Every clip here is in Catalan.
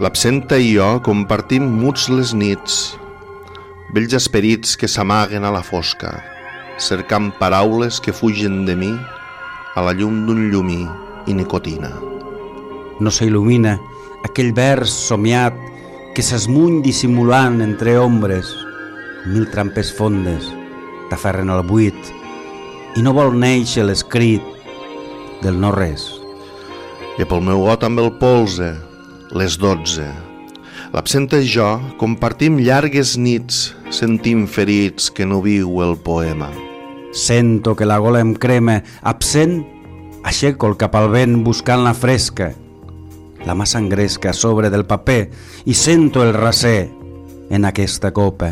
L'absenta i jo compartim muts les nits, vells esperits que s'amaguen a la fosca, cercant paraules que fugen de mi a la llum d'un llumí i nicotina. No s'il·lumina aquell vers somiat que s'esmuny dissimulant entre ombres. Mil trampes fondes t'aferren al buit i no vol néixer l'escrit del no res. I pel meu got amb el polze, les 12. L'absenta i jo compartim llargues nits, sentim ferits que no viu el poema. Sento que la gola em crema, absent, aixeco el cap al vent buscant la fresca. La mà s'engresca a sobre del paper i sento el raser en aquesta copa.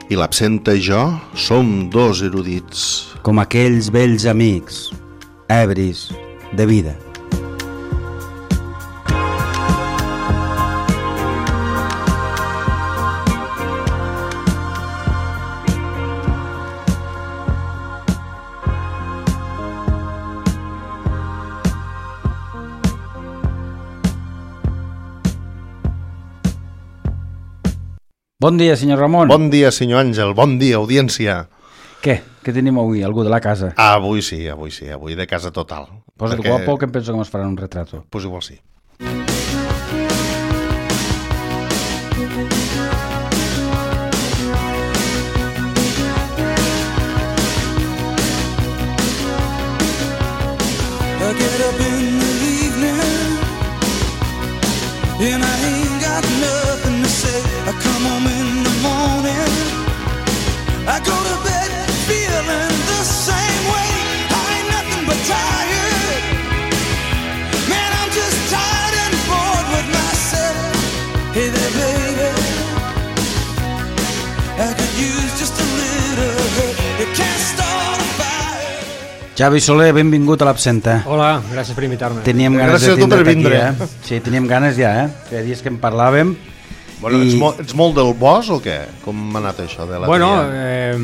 I l'absenta i jo som dos erudits. Com aquells vells amics, ebris de vida. Bon dia, senyor Ramon. Bon dia, senyor Àngel. Bon dia, audiència. Què? Què tenim avui? Algú de la casa? Avui sí, avui de casa total. Posa't guapo que em penso que ens faran un retrato. Pues igual sí. I get up in the evening and I ain't got nothing to say. I come home in the morning, I go to bed feeling the same way. I ain't nothing but tired, man, I'm just tired and bored with myself. Hey there baby, I could use just a little help. You can't start a fire. Javi Soler, benvingut a l'Absenta. Hola, gràcies per invitar-me. Teníem ganes Gràcies de a tu per tindre't vindre. aquí, Sí, teníem ganes ja, Feia dies que en parlàvem. Bueno, ets molt del bosc o què? Com m'ha anat això de la Bueno, tria?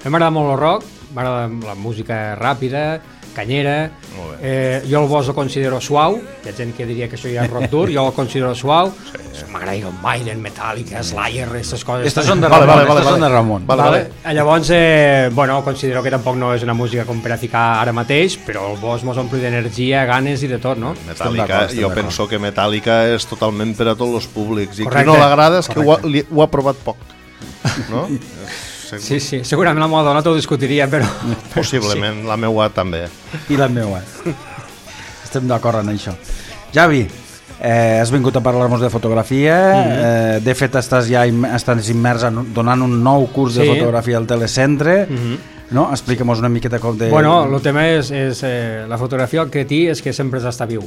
m'agrada molt el rock, m'agrada la música ràpida, canyera. Molt Jo el bosc el considero suau, hi ha gent que diria que això ja és rock dur, jo el considero suau. M'agrada Iron Maiden, Metallica, Slayer, aquestes coses. Estos són de Vale, Ramon, vale, estos vale. són de Ramon. Vale. Llavors, bueno, considero que tampoc no és una música com per a ficar ara mateix, però el bosc mos ompli d'energia, ganes i de tot, no? Metallica, jo penso que Metallica és totalment per a tots els públics i qui Correcte, no l'agrada és que correcte. ho ha provat poc, no? Sí, segurament la meva dona t'ho discutiria, però... Possiblement, la meua també. I la meua. Estem d'acord en això. Javi, has vingut a parlar-nos de fotografia, de fet estàs immers donant un nou curs de fotografia al Telecentre, no? Explica'm-nos una miqueta com de... Bueno, el tema és la fotografia, el que té és que sempre has d'estar viu,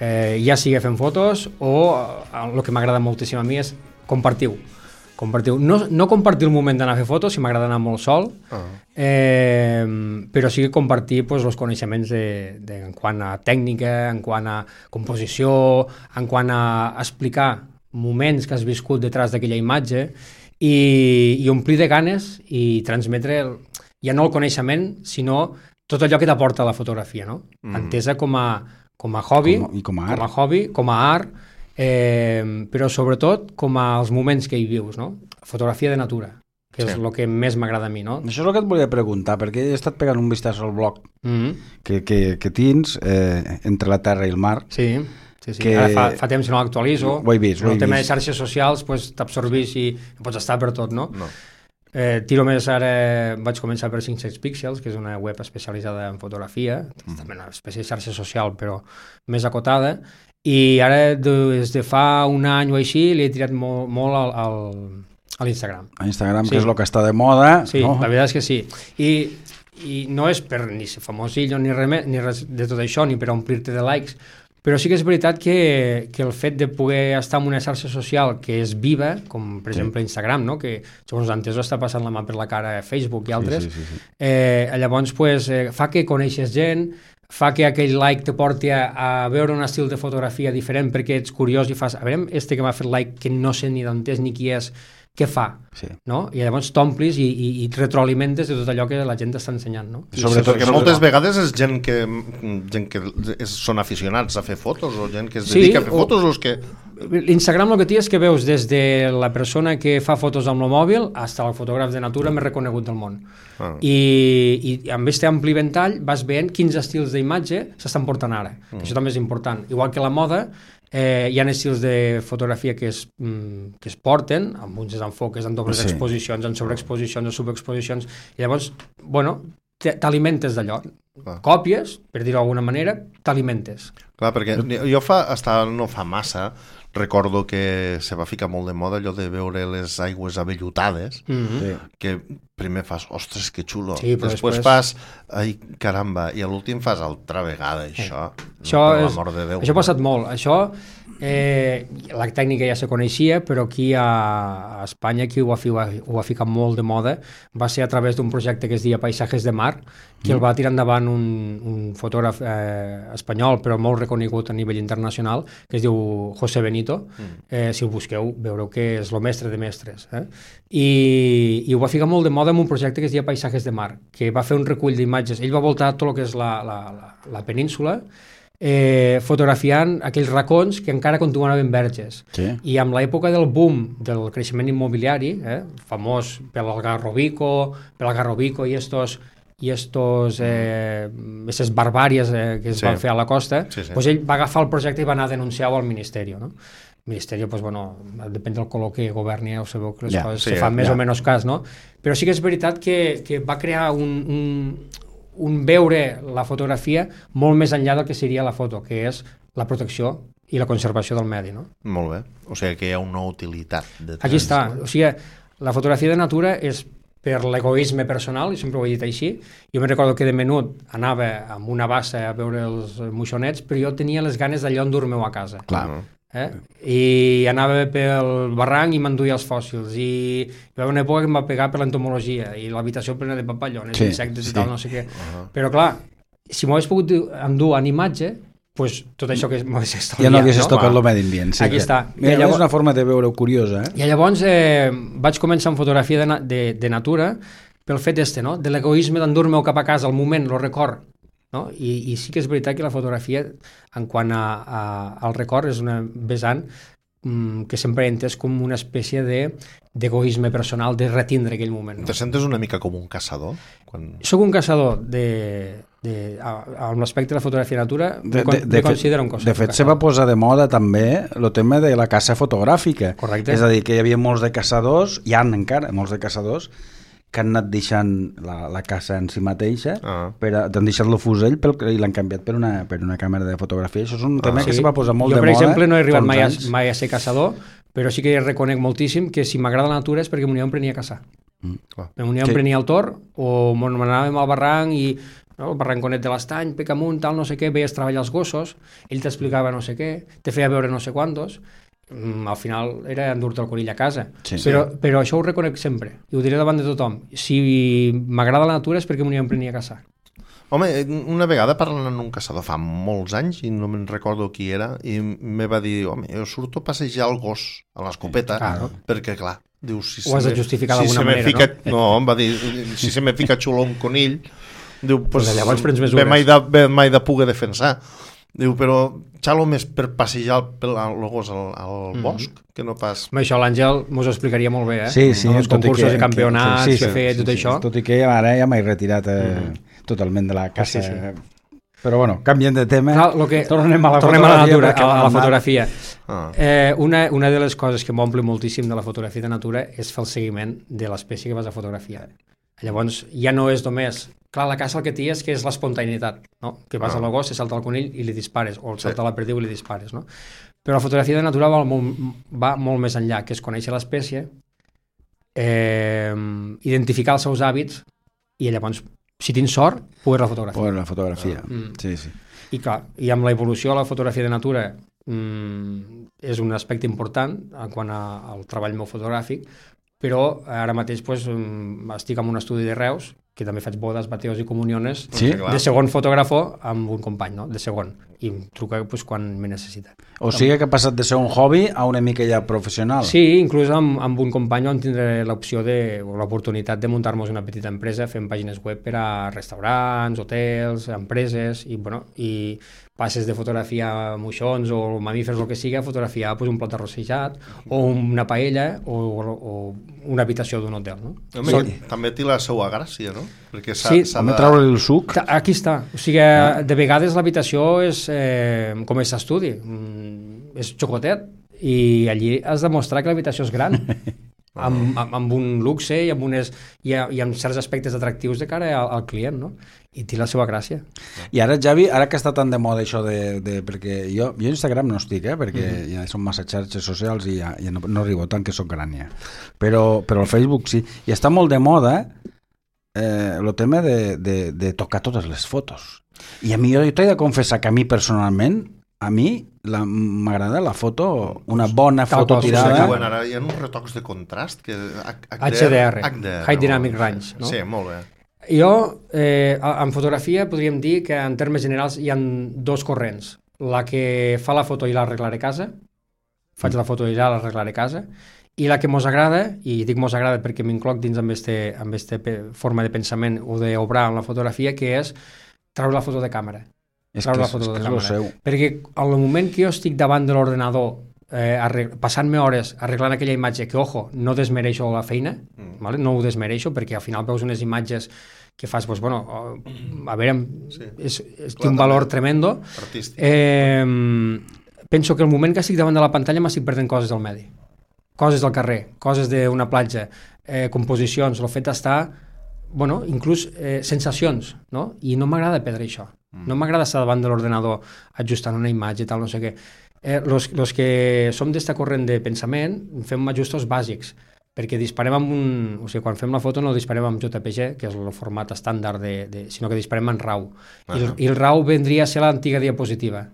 ja sigui fent fotos o el que m'agrada moltíssim a mi és compartir-ho. No compartir el moment d'anar a fer fotos, si m'agrada anar molt sol, però sí que compartir els coneixements en quant a tècnica, en quant a composició, en quant a explicar moments que has viscut detrás d'aquella imatge i omplir de ganes i transmetre ja no el coneixement, sinó tot allò que t'aporta la fotografia, no? Entesa com a hobby, com a art, però sobretot com als moments que hi vius, no? Fotografia de natura, que és el que més m'agrada a mi, no? Això és el que et volia preguntar, perquè he estat pegant un vistàs al blog que tens entre la terra i el mar. Sí. Ara fa temps que no l'actualitzo. Ho he vist. El tema de xarxes socials t'absorbís i pots estar per tot, no? Tiro més ara, vaig començar per 500 Píxels, que és una web especialitzada en fotografia, també una espècie de xarxa social, però més acotada, i ara des de fa un any o així li he tirat molt a l'Instagram. A Instagram, que és el que està de moda. Sí, no? La veritat és que sí. I no és per ni ser famosillo ni res de tot això, ni per omplir-te de likes, però sí que és veritat que el fet de poder estar en una xarxa social que és viva, com per exemple Instagram, no? Que segons antes està passant la mà per la cara a Facebook i altres, llavors fa que coneixes gent, fa que aquell like te porti a veure un estil de fotografia diferent perquè ets curiós i fas, a veure, que m'ha fet like que no sé ni d'on és ni qui és, què fa, no? I llavors t'omplis i retroalimentes de tot allò que la gent t'està ensenyant, no? Sobretot perquè moltes vegades és gent que són aficionats a fer fotos o gent que es dedica a fer fotos o els que... L'Instagram el que té és que veus des de la persona que fa fotos amb el mòbil fins al fotògraf de natura més reconegut del món. I amb aquest ampli ventall vas veient quins estils d'imatge s'estan portant ara. Això també és important. Igual que la moda, hi ha estils de fotografia que es porten, amb uns desenfoques, en dobles exposicions, en sobreexposicions, en subexposicions, i llavors, bueno, t'alimentes d'allò. Còpies, per dir-ho d'alguna manera, t'alimentes. Clar, perquè jo no fa massa recordo que se va ficar molt de moda allò de veure les aigües avellutades, que primer fas, ostres, que xulo, després fas, ai, caramba, i a l'últim fas altra vegada, això. Per l'amor de Déu. Això ha passat molt. Això, la tècnica ja se coneixia, però aquí a Espanya, qui ho ha ficat molt de moda, va ser a través d'un projecte que es deia Paisajes de Mar, que el va tirar endavant un fotògraf espanyol, però molt reconegut a nivell internacional, que es diu José Benito. Si ho busqueu, veureu que és el mestre de mestres. I ho va ficar molt de moda amb un projecte que es deia Paisajes de Mar, que va fer un recull d'imatges. Ell va voltar tot el que és la península, fotografiant aquells racons que encara continuaven verges. I amb l'època del boom del creixement immobiliari, famós pel Algarrobico i aquestes barbàries que es van fer a la costa, doncs ell va agafar el projecte i va anar a denunciar-ho al Ministeri, no? El Ministeri, doncs, bueno, depèn del color que governi, ja ho sabeu que les coses se fan més o menys cas, no? Però sí que és veritat que va crear un veure la fotografia molt més enllà del que seria la foto, que és la protecció i la conservació del medi, no? Molt bé, o sigui que hi ha una utilitat. Aquí està, o sigui, la fotografia de natura és per l'egoisme personal, i sempre ho he dit així. Jo me'n recordo que de menut anava amb una bassa a veure els moixonets, però jo tenia les ganes d'allò endur-me-ho a casa. Clar. I anava pel barranc i m'enduia els fòssils, i hi va haver una època que em va pegar per l'entomologia, i l'habitació plena de papallones, insectes i tal, no sé què. Però clar, si m'ho hagués pogut endur en imatge, pues tot això que m'ho hagués estalviat. Ja no haguessis tocat el medi ambient. Aquí està. Mira, és una forma de veure-ho curiosa. I llavors vaig començar amb fotografia de natura pel fet no? De l'egoisme d'endur-me-ho cap a casa, al moment, el record. No? I sí que és veritat que la fotografia, en quant al record, és una vessant que sempre he entès com una espècie d'egoisme personal, de retindre aquell moment. Te sentes una mica com un caçador? Soc un caçador amb l'aspecte de la fotografia natura, me considero un caçador. De fet, se va posar de moda també el tema de la caça fotogràfica. Correcte. És a dir, que hi havia molts de caçadors, hi ha encara molts de caçadors, que han anat deixant la caça en si mateixa, han deixat el fusell i l'han canviat per una càmera de fotografia. Això és un tema que se va posar molt de moda. Jo, per exemple, no he arribat mai a ser caçador, però sí que reconec moltíssim que si m'agrada la natura és perquè m'ho prenia a caçar. M'ho prenia al tor, o m'anàvem al barranc i el barranconet de l'Estany, Pecamunt, tal, no sé què, veies treballar els gossos, ell t'explicava no sé què, te feia veure no sé quantos. Al final era endur-te el conill a casa, però això ho reconec sempre i ho diré davant de tothom. Si m'agrada la natura és perquè m'ho prenia a caçar. Home, una vegada parlant amb un caçador fa molts anys, i no me'n recordo qui era, i me va dir, home, jo surto a passejar el gos a l'escopeta, perquè clar, diu, ho has de justificar d'alguna manera, no? No, em va dir, si se me fica xulo un conill, diu, pues llavors prens mesures. Ve mai de poder defensar. Diu, però xalo més per passejar el gos al bosc que no pas... Això l'Àngel mos ho explicaria molt bé, Sí, els concursos i campionats que feia tot això. Tot i que ara ja m'he retirat totalment de la caça. Però bueno, canviem de tema. Tornem a la natura, a la fotografia. Una de les coses que m'omple moltíssim de la fotografia de natura és fer el seguiment de l'espècie que vas a fotografiar. Llavors ja no és només... Clar, la caça el que té és que és l'espontaneïtat, no? Que vas a l'agost, se salta el conill i li dispares, o salta la perdiu i li dispares, no? Però la fotografia de natura va molt més enllà, que és conèixer l'espècie, identificar els seus hàbits i llavors, si tens sort, poder-la fotografiar. Poder-la fotografia, sí. I clar, i amb la evolució de la fotografia de natura és un aspecte important en quant al treball meu fotogràfic, però ara mateix estic en un estudi de Reus que també faig bodes, bateos i comuniones, Sí? de segon fotògrafo amb un company, no? De segon, i em truca pues, quan me necessita. O sigui que ha passat de ser un hobby a una mica ja professional. Sí, inclús amb un company on tindré l'opció o l'oportunitat de muntar-nos una petita empresa fent pàgines web per a restaurants, hotels, empreses, i, bueno, i passes de fotografia a moixons o mamífers o el que siga, a fotografiar pues, un plat arrossejat o una paella o una habitació d'un hotel. No? També té la seva gràcia, no? Perquè Sí, Home, treure-li el suc. Aquí està. O sigui, de vegades l'habitació és com és estudi, és xocotet, i allí has de mostrar que l'habitació és gran, amb un luxe i amb certs aspectes atractius de cara al client, no? I té la seva gràcia. I ara, Javi, ara que està tan de moda això perquè jo a Instagram no estic, perquè ja són massa xarxes socials i ja no arribo tant que soc gran ja. Però al Facebook sí. I està molt de moda el tema de tocar totes les fotos. I a mi, jo t'he de confessar que a mi personalment, m'agrada la foto, una bona foto tirada. Bueno, ara hi ha uns retocs de contrast que HDR, High Dynamic Range, no? Sí, molt bé. Jo, en fotografia, podríem dir que en termes generals hi ha dos corrents. La que fa la foto i l'arreglaré a casa, faig la foto i ja l'arreglaré a casa, i la que mos agrada, i dic mos agrada perquè m'incloc dins amb aquesta forma de pensament o d'obrar en la fotografia, que és treure la foto de càmera. És el seu. Perquè al moment que jo estic davant de l'ordenador passant-me hores arreglant aquella imatge, que, ojo, no desmereixo la feina, vale? No ho desmereixo, perquè al final veus unes imatges que fas, pues, bueno, a veure, té un valor tremendo. Penso que el moment que estic davant de la pantalla m'estic perdent coses del medi, coses del carrer, coses d'una platja, composicions, el fet d'estar, bueno, inclús sensacions, no? I no m'agrada perdre això. No m'agrada estar davant de l'ordenador ajustant una imatge i tal, no sé què. Los que som d'esta corrent de pensament fem ajustos bàsics, perquè disparem amb o sigui, quan fem la foto no disparem amb JPG, que és el format estàndard, sinó que disparem en RAW. I el RAW vendria a ser l'antiga diapositiva.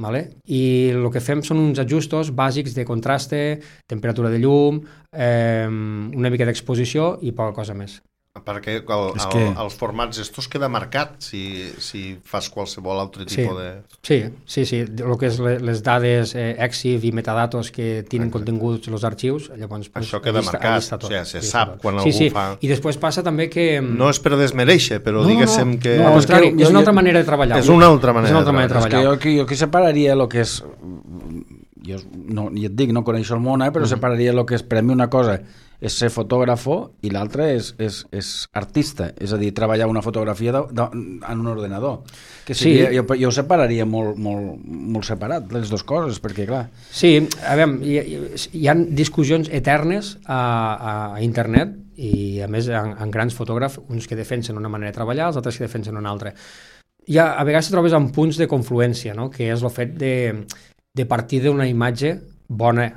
Vale? I el que fem són uns ajustos bàsics de contraste, temperatura de llum, una mica d'exposició i poca cosa més. Perquè els formats estos queda marcat si fas qualsevol altre tipus de... Sí, el que és les dades EXIF i metadatos que tenen continguts els arxius, llavors... Això queda marcat, o sigui, se sap quan algú fa... I després passa també que... No és per desmereixer, però diguéssim que... No, al contrari, és una altra manera de treballar. És una altra manera de treballar. És que jo aquí separaria el que és... Jo et dic, no coneixo el món, però separaria el que és per a mi una cosa és ser fotògrafo i l'altre és artista, és a dir, treballar una fotografia en un ordenador. Que seria, jo separaria molt separat les dues coses, perquè clar... Sí, a veure, hi ha discussions eternes a internet i a més en grans fotògrafs, uns que defensen una manera de treballar, els altres que defensen una altra. A vegades trobes en punts de confluència, no? Que és el fet de partir d'una imatge bona,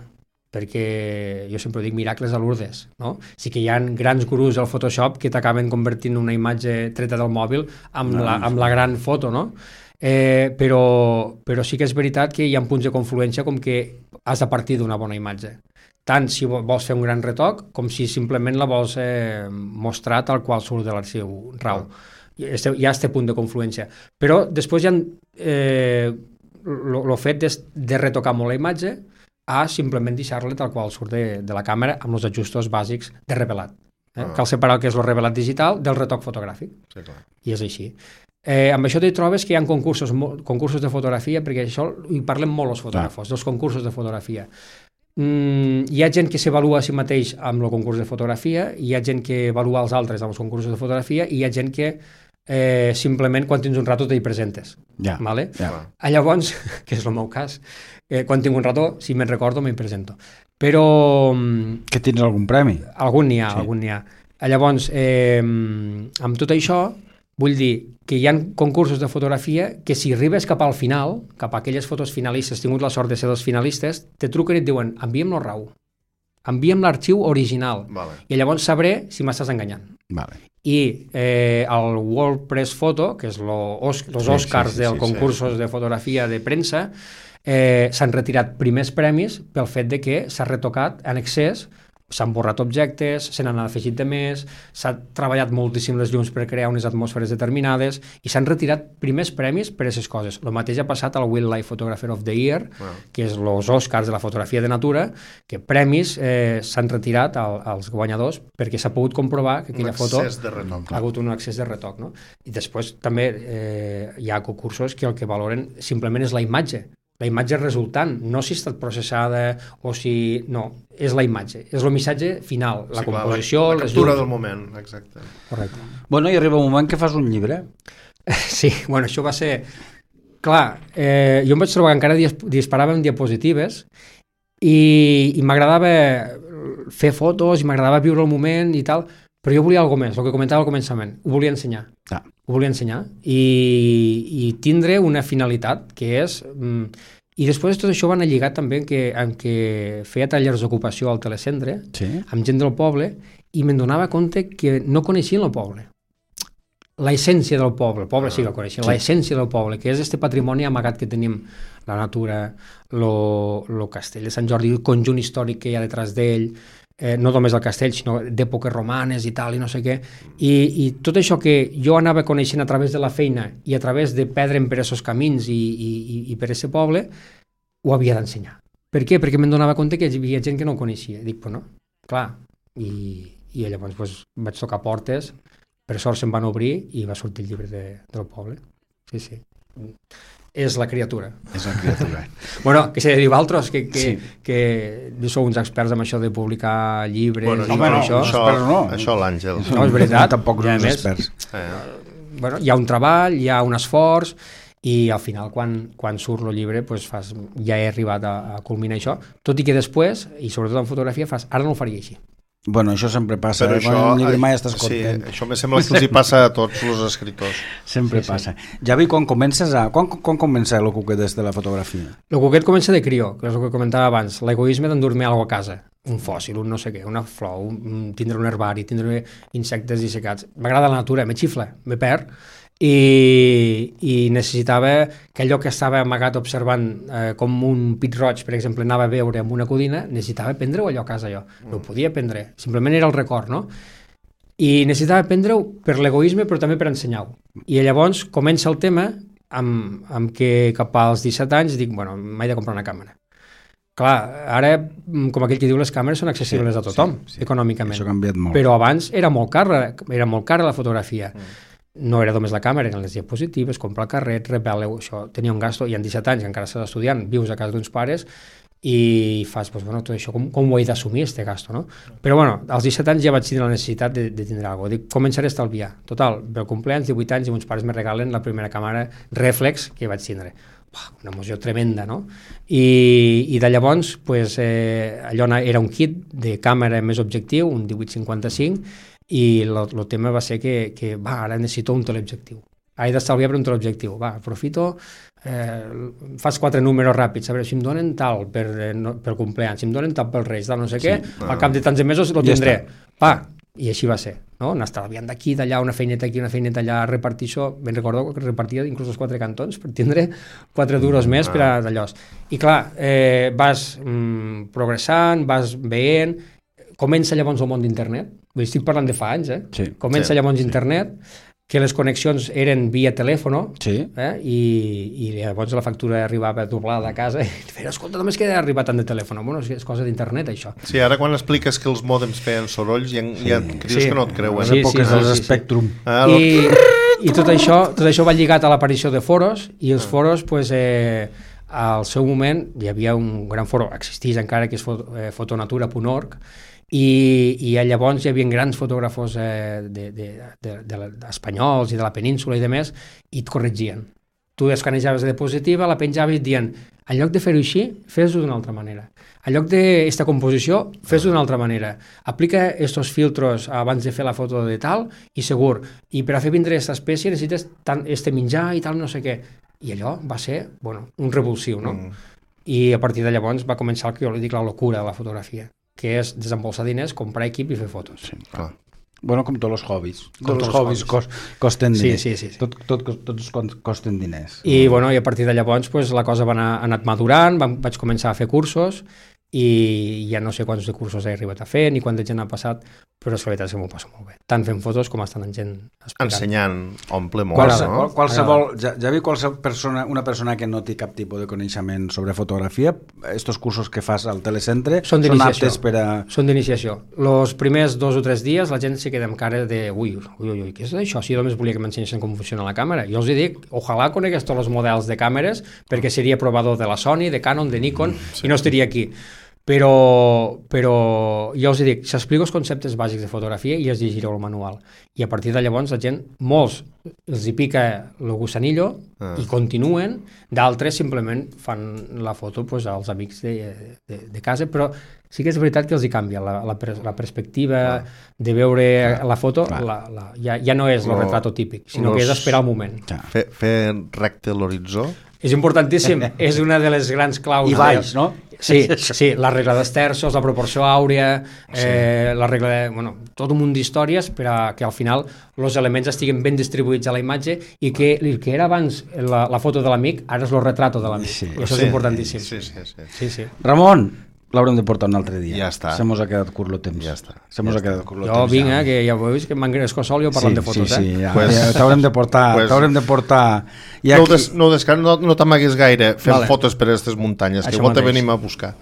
perquè jo sempre dic miracles a Lourdes, no? Sí que hi ha grans gurus al Photoshop que t'acaben convertint una imatge treta del mòbil amb la gran foto, no? Però sí que és veritat que hi ha punts de confluència com que has de partir d'una bona imatge. Tant si vols fer un gran retoc com si simplement la vols mostrar tal qual surt de l'arxiu RAW. Hi ha aquest punt de confluència. Però després hi ha el fet de retocar molt la imatge a simplement deixar-la tal qual surt de la càmera amb els ajustos bàsics de revelat. Cal separar el que és el revelat digital del retoc fotogràfic. Sí, clar. I és així. Amb això t'hi trobes que hi ha concursos de fotografia, perquè això hi parlem molt els fotògrafos, dels concursos de fotografia. Hi ha gent que s'avalua a si mateix amb el concurs de fotografia, hi ha gent que avalua els altres amb els concursos de fotografia i hi ha gent que simplement quan tens un rato t'hi presentes. Vale? Llavors, que és el meu cas, quan tinc un rato, si me'n recordo, m'hi presento. Però... Que tens algun premi? Algun n'hi ha. Llavors, amb tot això, vull dir que hi ha concursos de fotografia que si arribes cap al final, cap a aquelles fotos finalistes, has tingut la sort de ser dels finalistes, te truquen i et diuen, envia'm el RAW, envia'm l'arxiu original, i llavors sabré si m'estàs enganyant. I el WordPress Photo, que és els Oscars dels concursos de fotografia de premsa, s'han retirat primers premis pel fet de que s'ha retocat en excés s'han borrat objectes, se n'han afegit de més, s'ha treballat moltíssim les llums per crear unes atmosferes determinades i s'han retirat primers premis per a aquestes coses. El mateix ha passat al Wildlife Photographer of the Year, que és els Oscars de la fotografia de natura, que premis s'han retirat als guanyadors perquè s'ha pogut comprovar que aquella foto ha hagut un excés de retoc. No? I després també hi ha concursos que el que valoren simplement és la imatge resultant, no si ha estat processada o si... No, és la imatge, és el missatge final, la composició... La captura del moment, exacte. Correcte. Bueno, i arriba un moment que fas un llibre. Sí, bueno, això va ser... Clar, jo em vaig trobar que encara disparàvem diapositives i m'agradava fer fotos i m'agradava viure el moment i tal, però jo volia alguna més, el que comentava al començament, ho volia ensenyar. Ho volia ensenyar i tindre una finalitat que és... I després tot això va anar lligat també en què feia tallers d'ocupació al telecentre, amb gent del poble, i me'n donava compte que no coneixien el poble. La essència del poble, el poble sí que el coneixien, la essència del poble, que és este patrimoni amagat que tenim, la natura, el castell de Sant Jordi, el conjunt històric que hi ha detrás d'ell, no només el castell, sinó d'èpoques romanes i tal, i no sé què. I tot això que jo anava coneixent a través de la feina i a través de perdre'm per aquests camins i per aquest poble, ho havia d'ensenyar. Per què? Perquè me'n donava compte que hi havia gent que no ho coneixia. Dic, pues no, clar. I llavors pues, vaig tocar portes, per sort se'n van obrir i va sortir el llibre del poble. Sí, sí. És la criatura. És la criatura. Bueno, que s'ha de dir altres, que sou uns experts en això de publicar llibres i això. Això l'Àngel. No, és veritat. Tampoc som experts. Bueno, hi ha un treball, hi ha un esforç i al final quan surt el llibre pues ja he arribat a culminar això, tot i que després, i sobretot en fotografia, ara no ho faria així. Bueno, això sempre passa, però quan un llibre mai estàs content. Sí, això me sembla que els hi passa a tots els escriptors. Sempre passa. Javi, quan comença el cuquet de la fotografia? El cuquet comença de crió, que és el que comentava abans, l'egoisme d'endur-me alguna cosa a casa, un fòssil, un no sé què, una flor, tindre un herbari, tindre insectes dissecats. M'agrada la natura, me xifla, me perd, i necessitava que allò que estava amagat observant com un pit roig, per exemple, anava a veure amb una codina, necessitava prendre-ho allò a casa jo, no ho podia prendre, simplement era el record, no? I necessitava prendre-ho per l'egoisme però també per ensenyar-ho, i llavors comença el tema amb que cap als 17 anys dic, bueno, m'he de comprar una càmera. Clar, ara, com aquell que diu, les càmeres són accessibles a tothom, econòmicament. Això ha canviat molt. Però abans era molt cara la fotografia. No era només la càmera, eren les diapositives, comprar el carret, repel·le-ho, això tenia un gasto, i en 17 anys, encara estàs estudiant, vius a casa d'uns pares i fas, doncs, bueno, tot això, com ho he d'assumir, este gasto, no? Però, bueno, als 17 anys ja vaig tenir la necessitat de tindre alguna cosa. Dic, començaré a estalviar. Total, pel compleanys, 18 anys, i meus pares me regalen la primera càmera reflex que vaig tindre. Una emoció tremenda, no? I de llavors, pues, allò era un kit de càmera més objectiu, un 18-55, i el tema va ser que ara necessito un teleobjectiu. He d'estalviar per un teleobjectiu. Aprofito, fas 4 números ràpids, a veure si em donen tal pel compleanys, si em donen tal pel Reis, tal no sé què, al cap de tants de mesos lo tindré. I així va ser, no? Anar estalviant d'aquí, d'allà, una feineta aquí, una feineta allà, repartir això. Ben recordo que repartia inclús els 4 cantons per tindre 4 duros més per a d'allò. I clar, vas progressant, vas veient, comença llavors el món d'internet, estic parlant de fa anys, comença llavors internet, que les connexions eren via telèfon, i llavors la factura arribava doblada a casa, i feia, escolta, només que ha arribat tant de telèfon. Bueno, és cosa d'internet, això. Sí, ara quan expliques que els mòdems feien sorolls, ja creus que no et creuen. Les èpoques dels Spectrum. I tot això va lligat a l'aparició de foros, i els foros, pues, al seu moment, hi havia un gran foro, existeix encara, que és fotonatura.org, i llavors hi havia grans fotògrafos espanyols i de la península i demés, i et corregien. Tu escanejaves la diapositiva, la penjaves i et dient, en lloc de fer-ho així, fes-ho d'una altra manera. En lloc d'esta composició, fes-ho d'una altra manera. Aplica estos filtros abans de fer la foto de tal, i segur. I per a fer vindre aquesta espècie necessites este menjar i tal, no sé què. I allò va ser, un revulsiu, no? I a partir de llavors va començar el que jo li dic la locura de la fotografia, que és desembolsar diners, comprar equip i fer fotos. Sí, clar. Bueno, com tots els hobbies. Tots els hobbies costen diners. Sí. Tots costen diners. I a partir de llavors la cosa va anar madurant, vaig començar a fer cursos i ja no sé quants de cursos he arribat a fer ni quanta gent ha passat, però la veritat és que m'ho passo molt bé, tant fent fotos com estant en gent explicant. Ensenyant omple molt, no? Qualsevol, ja vi una persona que no té cap tipus de coneixement sobre fotografia, estos cursos que fas al telecentre són aptes per a... Són d'iniciació. Els primers 2 o 3 dies la gent se queda amb cara de ui, què és això? Si jo només volia que m'ensenyessin com funciona la càmera. Jo els dic, ojalà conegués tots els models de càmeres perquè seria provador de la Sony, de Canon, de Nikon i no estaria aquí. Però jo els dic, s'explico els conceptes bàsics de fotografia i els llegireu el manual. I a partir de llavors la gent, molts els hi pica el gusanillo i continuen, d'altres simplement fan la foto als amics de casa, però sí que és veritat que els hi canvia la perspectiva de veure la foto, ja no és el retrato típic, sinó que és esperar el moment. Fer recte l'horitzó. És importantíssim, és una de les grans claus. I baix, no? Sí, la regla dels terços, la proporció àurea, la regla de... Bueno, tot un munt d'històries per a que al final els elements estiguen ben distribuïts a la imatge i que el que era abans la foto de l'amic, ara és el retrato de l'amic. Sí. I això és importantíssim. Sí. Ramon, l'haurem de portar un altre dia. Ja està. Se mos ha quedat curt el temps. Ja està. Se mos ha quedat curt el temps. Jo vinc, que ja ho veus, que m'engresco sol i parlant de fotos. Sí, ja. T'haurem de portar... No t'amaguis gaire fent fotos per a aquestes muntanyes, que vol te venim a buscar.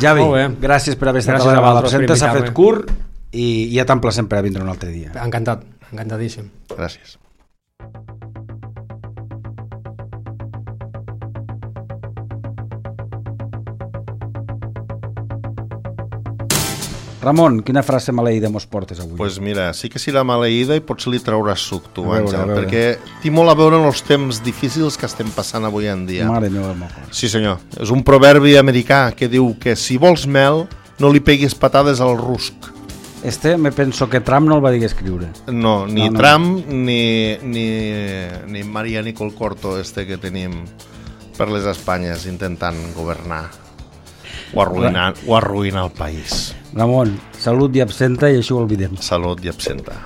Javi, gràcies per haver estat a l'absenta, s'ha fet curt i ja t'emplacem per a vindre un altre dia. Encantat, encantadíssim. Gràcies. Ramon, quina frase maleïda mos portes avui? Pues mira, sí que serà maleïda i potser li trauràs suc tu, Àngel, perquè té molt a veure amb els temps difícils que estem passant avui en dia. Mare meva, el meu cor. Sí senyor, és un proverbi americà que diu que si vols mel no li peguis patades al rusc. Me penso que Trump no el va dir escriure. No, ni Trump ni Maria Nicole Corto que tenim per les Espanyes intentant governar o arruïnar el país. Ramon, salut i absenta i així ho oblidem. Salut i absenta.